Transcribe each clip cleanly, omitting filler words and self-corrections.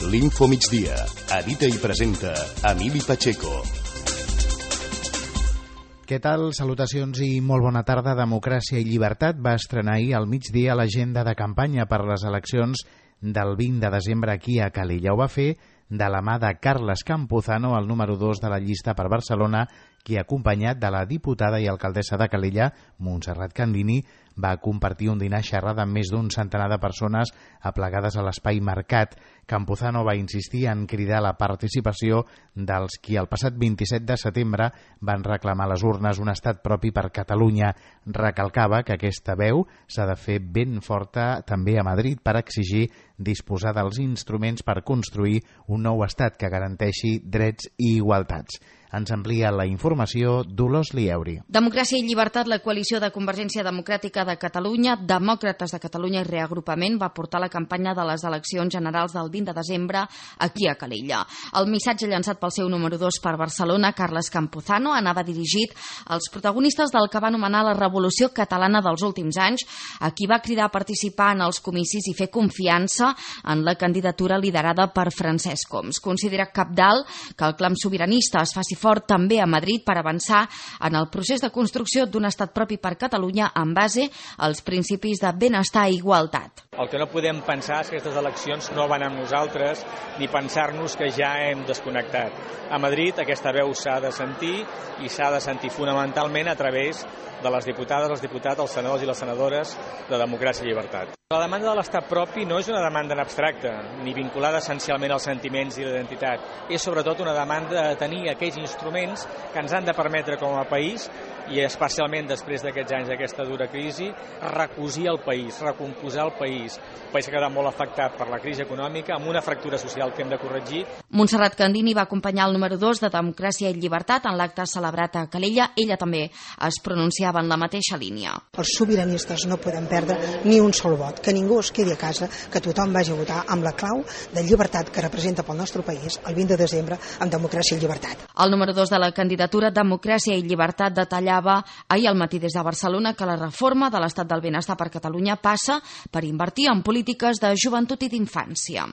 L'Info Migdia. Edita i presenta Emili Pacheco. Què tal? Salutacions i molt bona tarda. Democràcia i Llibertat va estrenar ahir al migdia l'agenda de campanya per les eleccions del 20 de desembre aquí a Calella. Ho va fer de la mà de Carles Campuzano, el número 2 de la llista per Barcelona, qui, acompanyat de la diputada i alcaldessa de Calella, Montserrat Candini, va compartir un dinar xerrada amb més d'un centenar de persones aplegades a l'espai Mercat. Campuzano va insistir en cridar la participació dels qui el passat 27 de setembre van reclamar a les urnes un estat propi per Catalunya. Recalcava que aquesta veu s'ha de fer ben forta també a Madrid per exigir disposar dels instruments per construir un nou estat que garanteixi drets i igualtats. Ens amplia la informació Dolors Lieuri. Democràcia i Llibertat, la coalició de Convergència Democràtica de Catalunya, Demòcrates de Catalunya i Reagrupament va portar la campanya de les eleccions generals del 20 de desembre aquí a Calella. El missatge llançat pel seu número 2 per Barcelona, Carles Campuzano, anava dirigit als protagonistes del que va anomenar la revolució catalana dels últims anys, a qui va cridar a participar en els comicis i fer confiança en la candidatura liderada per Francesc Homs. Considera cabdal que el clam sobiranista es faci fort també a Madrid per avançar en el procés de construcció d'un estat propi per Catalunya en base als principis de benestar i igualtat. El que no podem pensar és que aquestes eleccions no van amb nosaltres ni pensar-nos que ja hem desconnectat. A Madrid aquesta veu s'ha de sentir i s'ha de sentir fonamentalment a través de les diputades, els diputats, els senadors i les senadores de Democràcia i Llibertat. La demanda de l'estat propi no és una demanda en abstracte, ni vinculada essencialment als sentiments i l'identitat. És sobretot una demanda de tenir aquells instruments que ens han de permetre com a país, i especialment després d'aquests anys d'aquesta dura crisi, recosir el país, recomposar el país. Un país que ha quedat molt afectat per la crisi econòmica, amb una fractura social que hem de corregir. Montserrat Candini va acompanyar el número 2 de Democràcia i Llibertat en l'acte celebrat a Calella. Ella també es pronunciava en la mateixa línia. Els sobiranistes no podem perdre ni un sol vot, que ningú es quedi a casa, que tothom vagi a votar amb la clau de llibertat que representa pel nostre país el 20 de desembre amb Democràcia i Llibertat. El número 2 de la candidatura Democràcia i Llibertat detallava ahir al matí des de Barcelona que la reforma de l'estat del benestar per Catalunya passa per invertir en polítiques de joventut i d'infància.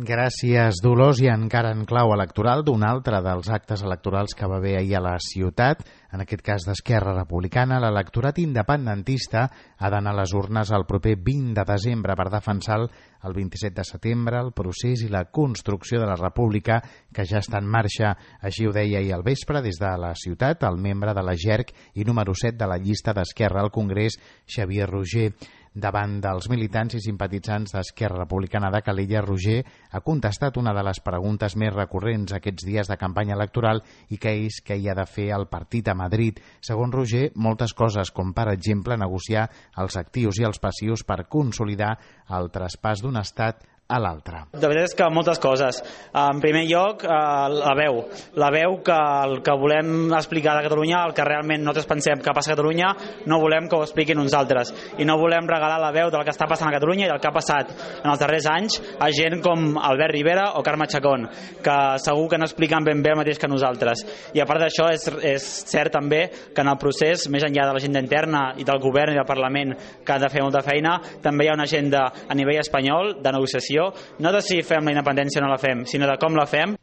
Gràcies, Dolors. I encara en clau electoral d'un altre dels actes electorals que va haver ahir a la ciutat, en aquest cas d'Esquerra Republicana, l'electorat independentista ha d'anar a les urnes el proper 20 de desembre per defensar el 27 de setembre, el procés i la construcció de la república que ja està en marxa. Així ho deia ahir al vespre des de la ciutat el membre de la JERC i número 7 de la llista d'Esquerra al Congrés, Xavier Roger. Davant dels militants i simpatitzants d'Esquerra Republicana de Calella, Roger ha contestat una de les preguntes més recurrents aquests dies de campanya electoral i que és què hi ha de fer el partit a Madrid. Segons Roger, moltes coses, com per exemple negociar els actius i els passius per consolidar el traspàs d'un estat a l'altre. De veritat és que moltes coses. En primer lloc, la veu que el que volem explicar de Catalunya, el que realment nosaltres pensem que passa a Catalunya, no volem que ho expliquin uns altres. I no volem regalar la veu del que està passant a Catalunya i del que ha passat en els darrers anys a gent com Albert Rivera o Carme Chacón, que segur que no expliquen ben bé el mateix que nosaltres. I a part d'això, és cert també que en el procés, més enllà de l'agenda interna i del govern i del Parlament, que han de fer molta feina, també hi ha una agenda a nivell espanyol de negociació, no de si fem la independència o no la fem, sinó de com la fem.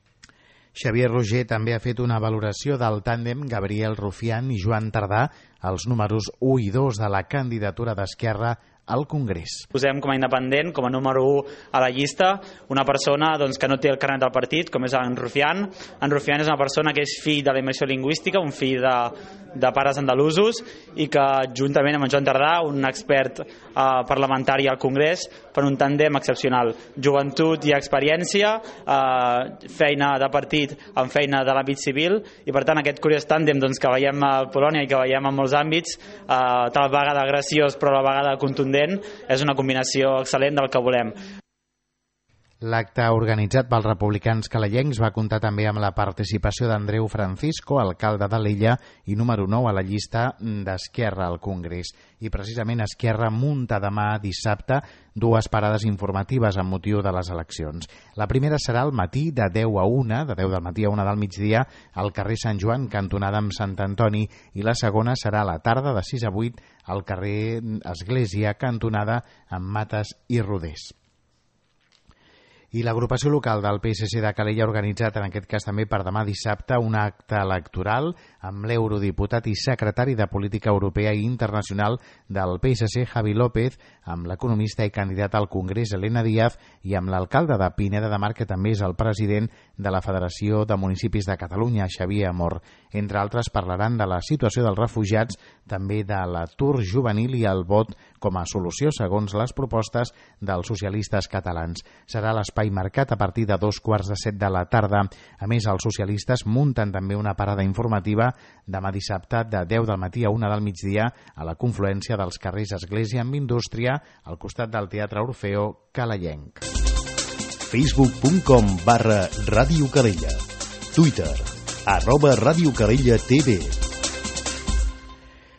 Xavier Roger també ha fet una valoració del tàndem Gabriel Rufián i Joan Tardà, els números 1 i 2 de la candidatura d'Esquerra al Congrés. Posem com a independent, com a número 1 a la llista, una persona que no té el carnet del partit, com és en Rufián. En Rufián és una persona que és fill de la immersió lingüística, un fill de pares andalusos, i que juntament amb en Joan Tardà, un expert parlamentari al Congrés, fan un tàndem excepcional. Joventut i experiència, feina de partit amb feina de l'àmbit civil, i per tant aquest curiós tàndem que veiem a Polònia i que veiem en molts àmbits, tal vegada graciós però a la vegada contundent, és una combinació excel·lent del que volem. L'acte organitzat pels republicans calellencs va comptar també amb la participació d'Andreu Francisco, alcalde de l'Illa i número 9 a la llista d'Esquerra al Congrés. I precisament Esquerra munta demà dissabte dues parades informatives amb motiu de les eleccions. La primera serà al matí de 10 a 1, de 10 del matí a 1 del migdia, al carrer Sant Joan, cantonada amb Sant Antoni, i la segona serà a la tarda de 6 a 8 al carrer Església, cantonada amb Mates i Rodés. I l'agrupació local del PSC de Calella ha organitzat, en aquest cas també per demà dissabte, un acte electoral amb l'eurodiputat i secretari de Política Europea i Internacional del PSC, Javi López, amb l'economista i candidat al Congrés, Elena Díaz, i amb l'alcalde de Pineda de Mar, que també és el president de la Federació de Municipis de Catalunya, Xavier Amor. Entre altres, parlaran de la situació dels refugiats, també de l'atur juvenil i el vot com a solució, segons les propostes dels socialistes catalans. Serà l'espai marcat a partir de 2:15 de la tarda. A més, els socialistes munten també una parada informativa demà dissabte de 10 del matí a 1 del migdia a la confluència dels carrers Església amb Indústria, al costat del Teatre Orfeo Calellenc. Facebook.com/Ràdio Calella. Twitter @Ràdio Calella TV.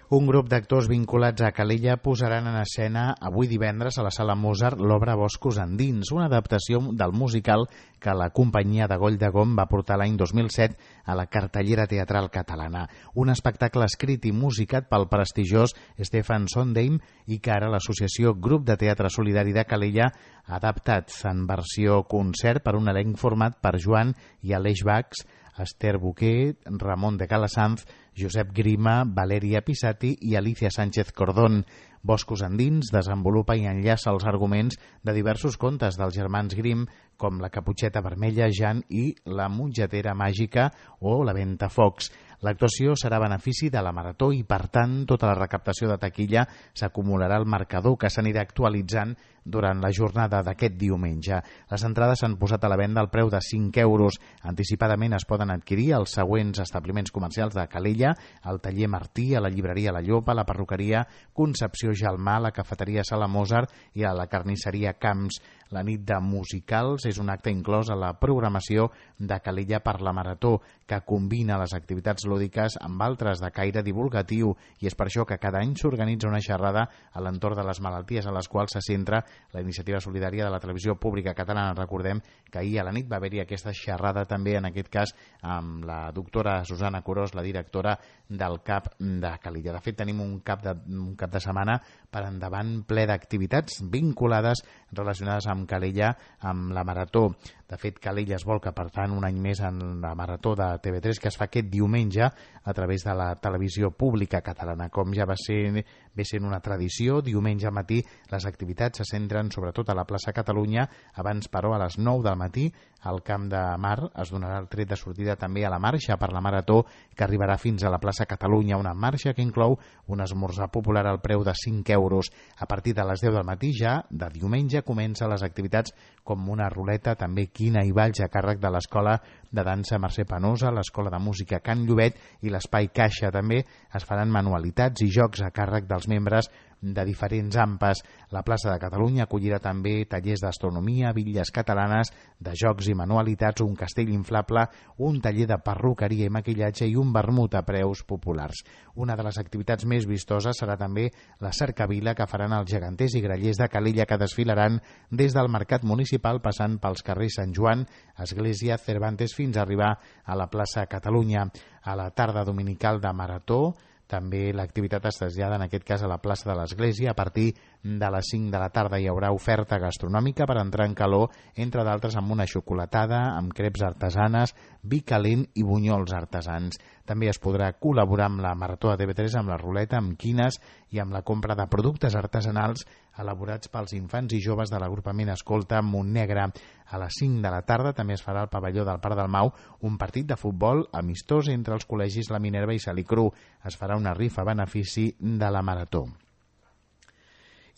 Un grup d'actors vinculats a Calella posaran en escena avui divendres a la Sala Mozart l'obra Boscos endins, una adaptació del musical que la companyia de Goll de Gom va portar l'any 2007 a la cartellera teatral catalana. Un espectacle escrit i musicat pel prestigiós Stefan Sondheim i que ara l'associació Grup de Teatre Solidari de Calella ha adaptat en versió concert per un elenc format per Joan i Aleix Bax, Esther Boquer, Ramon de Calasanz, Josep Grima, Valeria Pisati i Alicia Sánchez Cordón. Boscos endins desenvolupa i enllaça els arguments de diversos contes dels germans Grimm, com La Caputxeta Vermella, Jan i La Mongetera Màgica o La Ventafocs. L'actuació serà a benefici de la Marató i, per tant, tota la recaptació de taquilla s'acumularà al marcador, que s'anirà actualitzant durant la jornada d'aquest diumenge. Les entrades s'han posat a la venda al preu de 5 euros. Anticipadament es poden adquirir als següents establiments comercials de Calella, al taller Martí, a la llibreria La Llopa, a la perruqueria Concepció Gelmà, a la cafeteria Sala Mozart i a la carnisseria Camps. La nit de musicals és un acte inclòs a la programació de Calella per la Marató, que combina les activitats lúdiques amb altres de caire divulgatiu, i és per això que cada any s'organitza una xerrada a l'entorn de les malalties a les quals se centra la iniciativa solidària de la televisió pública catalana. Recordem que ahir a la nit va haver-hi aquesta xerrada també, en aquest cas, amb la doctora Susana Curós, la directora del CAP de Calella. De fet, tenim un cap de setmana per endavant ple d'activitats vinculades relacionades amb Calella, amb la Marató. De fet, Calella es volca, per tant, un any més en la Marató de TV3, que es fa aquest diumenge a través de la televisió pública catalana. Com ja ve sent una tradició, diumenge al matí les activitats se centren sobretot a la plaça Catalunya. Abans, però, a les 9 del matí, al Camp de Mar es donarà el tret de sortida també a la marxa per la Marató, que arribarà fins a la plaça Catalunya, una marxa que inclou un esmorzar popular al preu de 5 euros. A partir de les 10 del matí, ja de diumenge, comencen les activitats com una ruleta, també quina i balls a càrrec de l'Escola de Dansa Mercè Penosa, l'Escola de Música Can Llobet i l'Espai Caixa. També es faran manualitats i jocs a càrrec dels membres de diferents AMPAs. La plaça de Catalunya acollirà també tallers d'astronomia, bitlles catalanes, de jocs i manualitats, un castell inflable, un taller de perruqueria i maquillatge i un vermut a preus populars. Una de les activitats més vistoses serà també la cercavila que faran els geganters i grallers de Calella, que desfilaran des del Mercat Municipal passant pels carrers Sant Joan, Església, Cervantes, fins a arribar a la plaça Catalunya. A la tarda dominical de Marató també l'activitat es trasllada, en aquest cas, a la plaça de l'Església. A partir de les 5 de la tarda hi haurà oferta gastronòmica per entrar en calor, entre d'altres amb una xocolatada, amb creps artesanes, vi calent i bunyols artesans. També es podrà col·laborar amb la Marató de TV3, amb la ruleta, amb quines i amb la compra de productes artesanals elaborats pels infants i joves de l'agrupament Escolta Montnegre. A les 5 de la tarda també es farà al pavelló del Parc del Mau un partit de futbol amistós entre els col·legis La Minerva i Salicru. Es farà una rifa a benefici de la Marató.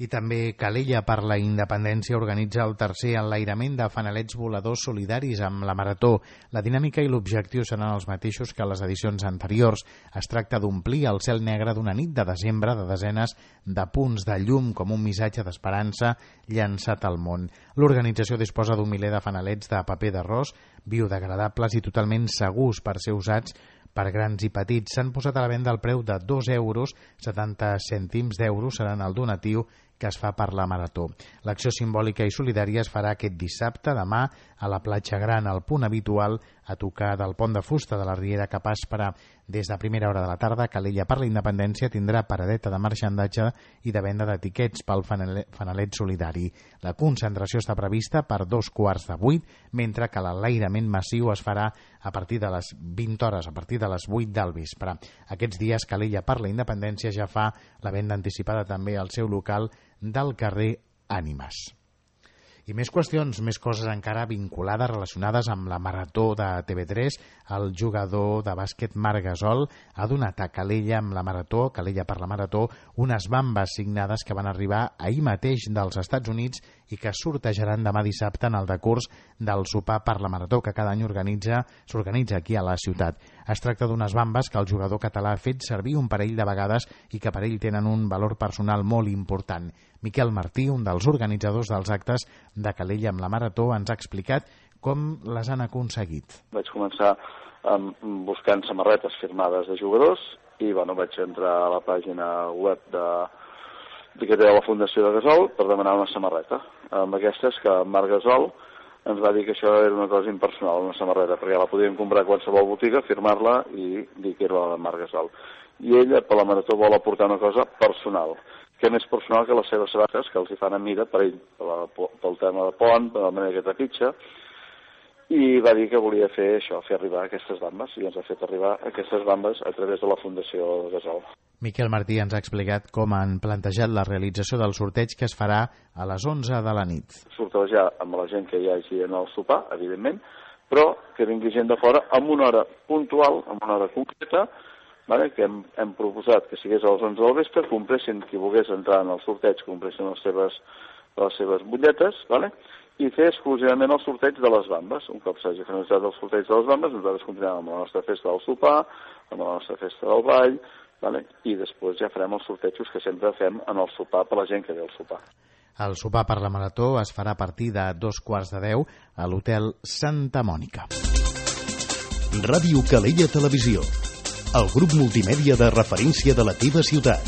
I també Calella per la Independència organitza el tercer enlairament de fanalets voladors solidaris amb la Marató. La dinàmica i l'objectiu seran els mateixos que les edicions anteriors. Es tracta d'omplir el cel negre d'una nit de desembre de desenes de punts de llum com un missatge d'esperança llançat al món. L'organització disposa d'un miler de fanalets de paper d'arròs, biodegradables i totalment segurs per ser usats per grans i petits. S'han posat a la venda al preu de 2 euros, 70 cèntims d'euros seran el donatiu que es fa per la Marató. L'acció simbòlica i solidària es farà aquest dissabte, demà, a la Platja Gran, al punt habitual a tocar del Pont de Fusta de la Riera Capaç per des de primera hora de la tarda. Calella per la Independència tindrà paradeta de marxandatge i de venda d'etiquets pel fanalet solidari. La concentració està prevista per 7:15, mentre que l'enlairament massiu es farà a partir de les 20 hores, a partir de les 8 del vespre. Aquests dies Calella per la Independència ja fa la venda anticipada també al seu local del carrer Ànimes. I més qüestions, més coses encara vinculades, relacionades amb la marató de TV3. El jugador de bàsquet Marc Gasol ha donat a Calella amb la marató, Calella per la marató, unes bambes signades que van arribar ahir mateix dels Estats Units i que sortejaran demà dissabte en el decurs del sopar per la marató que cada any s'organitza aquí a la ciutat. Es tracta d'unes bambes que el jugador català ha fet servir un parell de vegades i que per ell tenen un valor personal molt important. Miquel Martí, un dels organitzadors dels actes de Calella amb la marató, ens ha explicat com les han aconseguit. Vaig començar buscant samarretes firmades de jugadors i vaig entrar a la pàgina web que té la Fundació de Gasol per demanar una samarreta. Amb aquestes que Marc Gasol ens va dir que això era una cosa impersonal, una samarreta, perquè la podíem comprar a qualsevol botiga, firmar-la i dir que era la de Marc Gasol. I ella, per la marató, vol aportar una cosa personal. Què més personal que les seves sabates, que els hi fan a mida per ell, pel tema de pont, per la manera que trepitja, i va dir que volia fer això, fer arribar aquestes bambes, i ens ha fet arribar aquestes bambes a través de la Fundació Gasol. Miquel Martí ens ha explicat com han plantejat la realització del sorteig que es farà a les 11 de la nit. Sortejar amb la gent que hi hagi en el sopar, evidentment, però que vingui gent de fora amb una hora puntual, amb una hora concreta, que hem proposat que sigués a les 11 del vespre, compressin qui volgués entrar en el sorteig, compressin les seves butlletes, i fer exclusivament el sorteig de les bambes. Un cop s'hagi finalitzat el sorteig de les bambes, nosaltres continuem amb la nostra festa del sopar, amb la nostra festa del ball, i després ja farem els sortejos que sempre fem en el sopar per la gent que ve al sopar. El sopar per la marató es farà a partir de 9:15 a l'Hotel Santa Mònica. Ràdio Calella Televisió, el grup multimèdia de referència de la teva ciutat.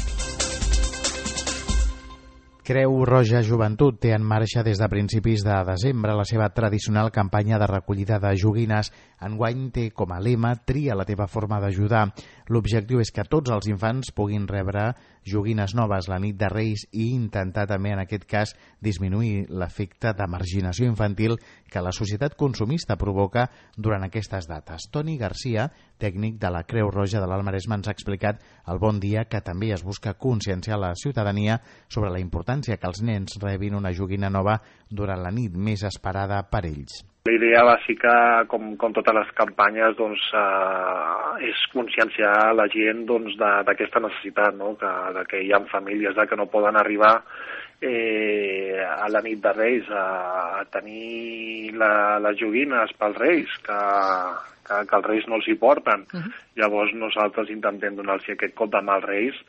Creu Roja Joventut té en marxa des de principis de desembre la seva tradicional campanya de recollida de joguines. Enguany té com a lema "Tria la teva forma d'ajudar". L'objectiu és que tots els infants puguin rebre joguines noves la nit de Reis i intentar també, en aquest cas, disminuir l'efecte de marginació infantil que la societat consumista provoca durant aquestes dates. Toni Garcia, tècnic de la Creu Roja de l'Alt Maresme, ens ha explicat al Bon Dia que també es busca conscienciar la ciutadania sobre la importància que els nens rebin una joguina nova durant la nit més esperada per ells. La idea bàsica, com totes les campanyes, és conscienciar la gent d'aquesta necessitat, que hi ha famílies que no poden arribar a la nit de Reis a tenir les joguines pels Reis, que els Reis no els hi porten. Llavors nosaltres intentem donar-los aquest cop de mà als Reis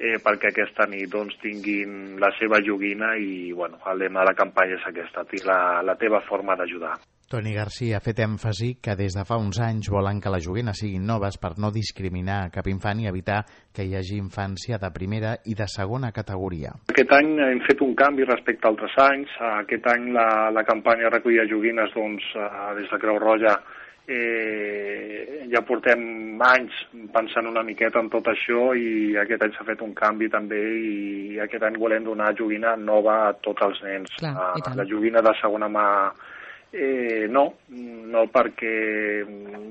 perquè aquesta nit tinguin la seva joguina i el lema de la campanya és aquesta, la teva forma d'ajudar. Toni Garcia ha fet èmfasi que des de fa uns anys volen que les joguines siguin noves per no discriminar cap infant i evitar que hi hagi infància de primera i de segona categoria. Aquest any hem fet un canvi respecte a altres anys. Aquest any la campanya de recollida de joguines des de Creu Roja ja portem anys pensant una miqueta en tot això i aquest any s'ha fet un canvi també i aquest any volem donar joguina nova a tots els nens. La joguina de segona mà no perquè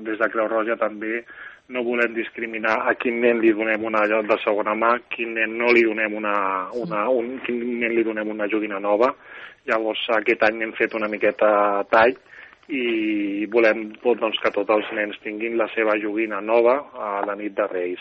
des de Creu Roja també no volem discriminar a quin nen li donem una de segona mà, quin nen no li donem quin nen li donem una joguina nova. Llavors aquest any hem fet una miqueta tall i volem que tots els nens tinguin la seva joguina nova a la nit de Reis.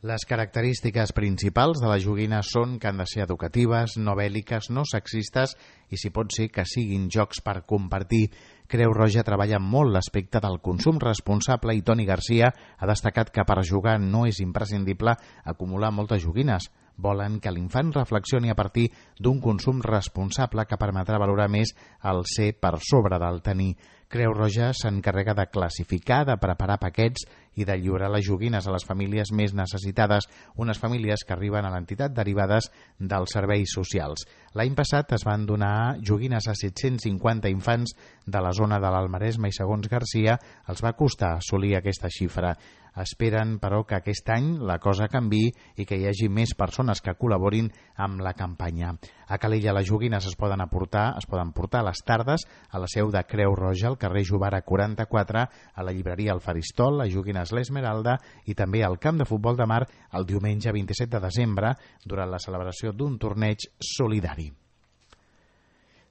Les característiques principals de les joguines són que han de ser educatives, no bèl·liques, no sexistes i, si pot ser, que siguin jocs per compartir. Creu Roja treballa molt l'aspecte del consum responsable i Toni Garcia ha destacat que per jugar no és imprescindible acumular moltes joguines. volen que l'infant reflexioni a partir d'un consum responsable que permetrà valorar més el ser per sobre del tenir. Creu Roja s'encarrega de classificar, de preparar paquets i de lliurar les joguines a les famílies més necessitades, unes famílies que arriben a l'entitat derivades dels serveis socials. L'any passat es van donar joguines a 750 infants de la zona de l'Almaresme i, segons Garcia, els va costar assolir aquesta xifra. Esperen, però, que aquest any la cosa canviï i que hi hagi més persones que col·laborin amb la campanya. A Calella les joguines es poden portar a les tardes a la seu de Creu Roja, al carrer Jovara 44, a la llibreria El Faristol, a Joguines l'Esmeralda i també al camp de futbol de Mar el diumenge 27 de desembre durant la celebració d'un torneig solidari.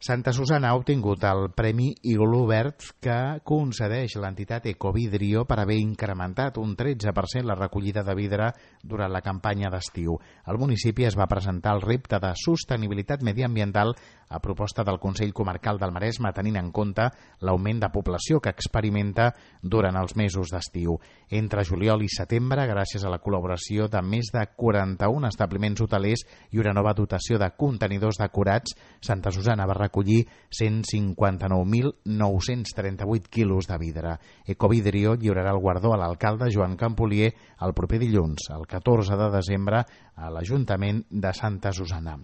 Santa Susanna ha obtingut el Premi Iglú Verd que concedeix l'entitat Ecovidrio per haver incrementat un 13% la recollida de vidre durant la campanya d'estiu. Al municipi es va presentar el repte de sostenibilitat mediambiental a proposta del Consell Comarcal del Maresme, tenint en compte l'augment de població que experimenta durant els mesos d'estiu. Entre juliol i setembre, gràcies a la col·laboració de més de 41 establiments hotelers i una nova dotació de contenidors decorats, Santa Susanna va recollir 159.938 quilos de vidre. Ecovidrio lliurarà el guardó a l'alcalde Joan Campolier el proper dilluns, el 14 de desembre, a l'Ajuntament de Santa Susanna.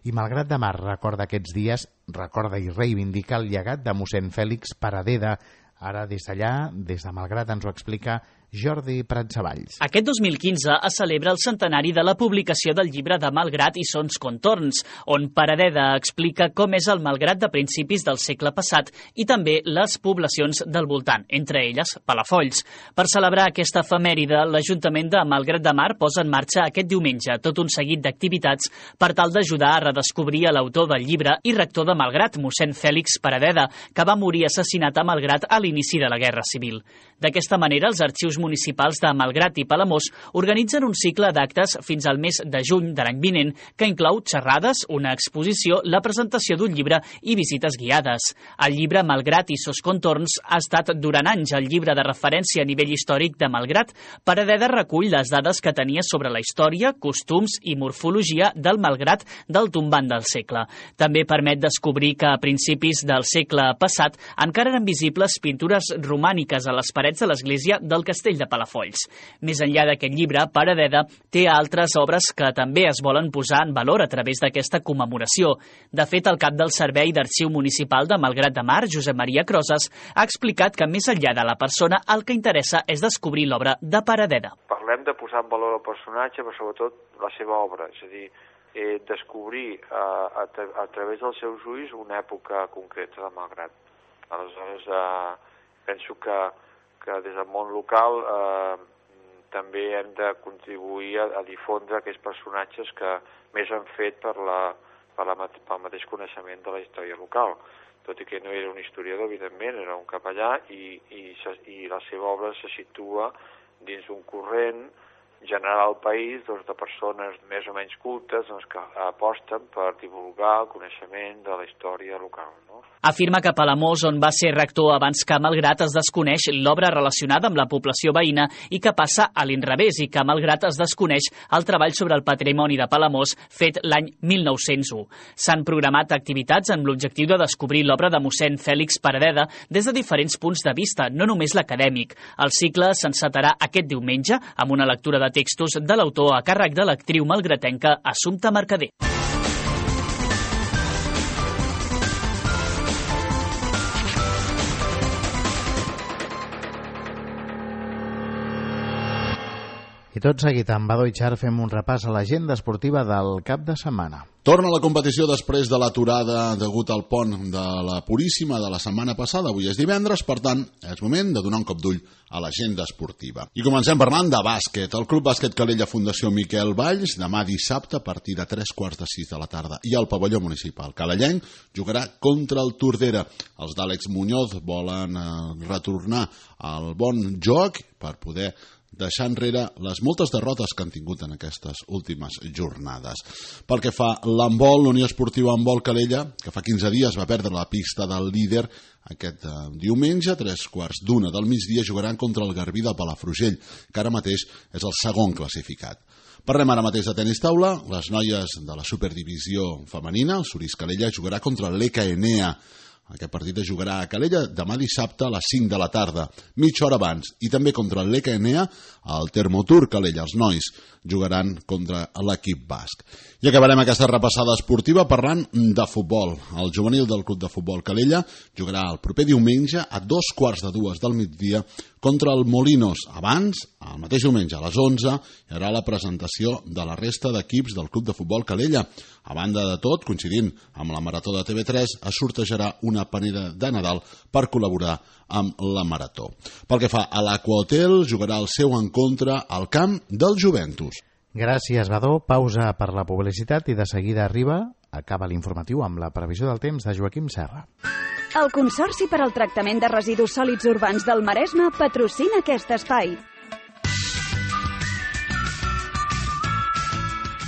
I Malgrat de Mar recorda aquests dies, recorda i reivindica el llegat de mossèn Fèlix Paradeda. Ara des d'allà, des de Malgrat, ens ho explica Jordi Pratsavalls. Aquest 2015 es celebra el centenari de la publicació del llibre de Malgrat i Sons Contorns, on Paradeda explica com és el Malgrat de principis del segle passat i també les poblacions del voltant, entre elles Palafolls. Per celebrar aquesta efemèride, l'Ajuntament de Malgrat de Mar posa en marxa aquest diumenge tot un seguit d'activitats per tal d'ajudar a redescobrir l'autor del llibre i rector de Malgrat, mossèn Fèlix Paradeda, que va morir assassinat a Malgrat a l'inici de la Guerra Civil. D'aquesta manera, els arxius municipals de Malgrat i Palamós organitzen un cicle d'actes fins al mes de juny de l'any vinent que inclou xerrades, una exposició, la presentació d'un llibre i visites guiades. El llibre Malgrat i Sos Contorns ha estat durant anys el llibre de referència a nivell històric de Malgrat. Paradeda recull les dades que tenia sobre la història, costums i morfologia del Malgrat del tombant del segle. També permet descobrir que a principis del segle passat encara eren visibles pintures romàniques a les parets de l'església del castell de Palafolls. Més enllà d'aquest llibre, Paradeda té altres obres que també es volen posar en valor a través d'aquesta commemoració. De fet, el cap del Servei d'Arxiu Municipal de Malgrat de Mar, Josep Maria Crosas, ha explicat que més enllà de la persona, el que interessa és descobrir l'obra de Paradeda. Parlem de posar en valor el personatge, però sobretot la seva obra, és a dir, descobrir a través dels seus ulls una època concreta de Malgrat. Aleshores, penso que des del món local també hem de contribuir a difondre aquests personatges que més han fet pel mateix coneixement de la història local. Tot i que no era un historiador, evidentment, era un capellà i la seva obra se situa dins un corrent general al país de persones més o menys cultes que aposten per divulgar el coneixement de la història local. Afirma que a Palamós, on va ser rector abans que a Malgrat, es desconeix l'obra relacionada amb la població veïna i que passa a l'inrevés i que a Malgrat es desconeix el treball sobre el patrimoni de Palamós fet l'any 1901. S'han programat activitats amb l'objectiu de descobrir l'obra de mossèn Fèlix Paradeda des de diferents punts de vista, no només l'acadèmic. El cicle s'encetarà aquest diumenge amb una lectura de textos de l'autor a càrrec de l'actriu malgratenca Assumpta Mercader. I tot seguit, amb Badó i Char, fem un repàs a l'agenda esportiva del cap de setmana. Torna la competició després de l'aturada degut al pont de la Puríssima de la setmana passada. Avui és divendres, per tant, és moment de donar un cop d'ull a l'agenda esportiva. I comencem parlant de bàsquet. El Club Bàsquet Calella Fundació Miquel Valls, demà dissabte, a partir de 3:45 de la tarda, i al pavelló municipal calellenc jugarà contra el Tordera. Els d'Àlex Muñoz volen retornar al bon joc per poder deixar enrere les moltes derrotes que han tingut en aquestes últimes jornades. Pel que fa l'handbol, l'Unió Esportiva Handbol Calella, que fa 15 dies va perdre la pista del líder, aquest diumenge, a 3:15 del migdia, jugaran contra el Garbí de Palafrugell, que ara mateix és el segon classificat. Parlem ara mateix de tenis taula. Les noies de la superdivisió femenina, el Surís Calella, jugarà contra l'ECA Enea. Aquest partit es jugarà a Calella demà dissabte a les 5 de la tarda, mitja hora abans. I també contra l'ECA Enea, al Termotur Calella. Els nois jugaran contra l'equip basc. I acabarem aquesta repassada esportiva parlant de futbol. El juvenil del Club de Futbol Calella jugarà el proper diumenge a 2:15 del migdia contra el Molinos. Abans, el mateix diumenge a les 11, hi haurà la presentació de la resta d'equips del Club de Futbol Calella. A banda de tot, coincidint amb la Marató de TV3, es sortejarà una panera de Nadal per col·laborar amb la Marató. Pel que fa a l'Aqua-Hotel, jugarà el seu encontre al camp del Juventus. Gràcies, Badó. Pausa per la publicitat i de seguida acaba l'informatiu amb la previsió del temps de Joaquim Serra. El Consorci per al Tractament de Residus Sòlids Urbans del Maresme patrocina aquest espai.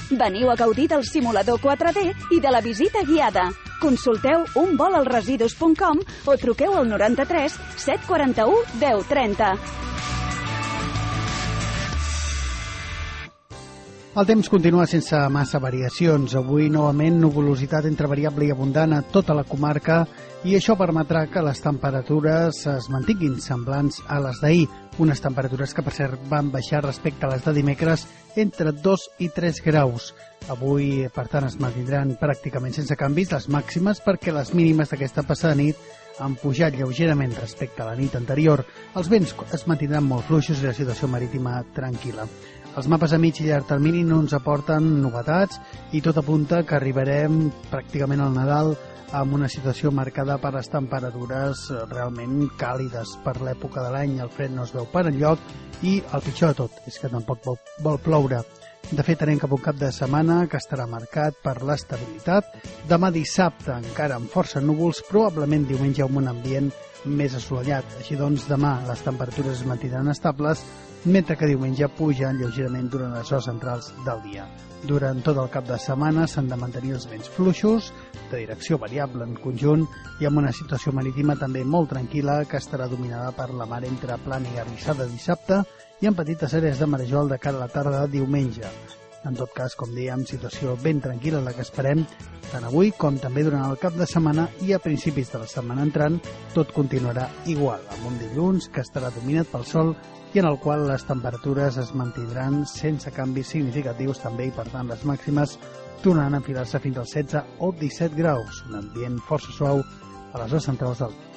Veniu a gaudir del simulador 4D i de la visita guiada. Consulteu unvolalresidus.com o truqueu al 93 741 1030. El temps continua sense massa variacions. Avui, novament, nuvolositat entre variable i abundant a tota la comarca i això permetrà que les temperatures es mantinguin semblants a les d'ahir. Unes temperatures que, per cert, van baixar respecte a les de dimecres entre 2 i 3 graus. Avui, per tant, es mantindran pràcticament sense canvis les màximes perquè les mínimes d'aquesta passada nit han pujat lleugerament respecte a la nit anterior. Els vents es mantindran molt fluixos i la situació marítima tranquil·la. Els mapes a mig i llarg termini no ens aporten novetats i tot apunta que arribarem pràcticament al Nadal amb una situació marcada per les temperatures realment càlides per l'època de l'any. El fred no es veu per enlloc i el pitjor de tot és que tampoc vol ploure. De fet, anem cap a un cap de setmana que estarà marcat per l'estabilitat. Demà dissabte encara amb força núvols, probablement diumenge amb un ambient més assolellat. Així doncs, demà les temperatures es mantindran estables, mentre que diumenge pugen lleugerament durant les hores centrals del dia. Durant tot el cap de setmana s'han de mantenir els vents fluixos, de direcció variable en conjunt, i amb una situació marítima també molt tranquil·la que estarà dominada per la mar entre Plana i Arrissada dissabte i amb petites àrees de marejol de cara a la tarda de diumenge. En tot cas, com dèiem, situació ben tranquil·la la que esperem tant avui com també durant el cap de setmana i a principis de la setmana entrant tot continuarà igual, amb un dilluns que estarà dominat pel sol i en el qual les temperatures es mantindran sense canvis significatius també i per tant les màximes tornaran a enfilar-se fins als 16 o 17 graus, un ambient força suau a les hores centrals del dia.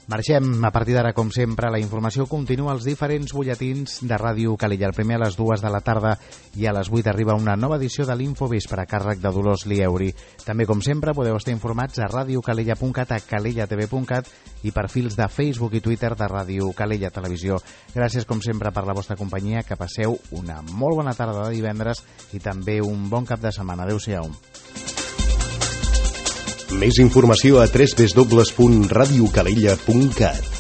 Marxem. A partir d'ara, com sempre, la informació continua als diferents butlletins de Ràdio Calella. El primer a les 2 de la tarda i a les 8 arriba una nova edició de l'Infovespre a càrrec de Dolors Lieuri. També, com sempre, podeu estar informats a radiocalella.cat, a calellatv.cat i perfils de Facebook i Twitter de Ràdio Calella Televisió. Gràcies, com sempre, per la vostra companyia. Que passeu una molt bona tarda de divendres i també un bon cap de setmana. Adéu-siau. Més informació a www.radiocalella.cat.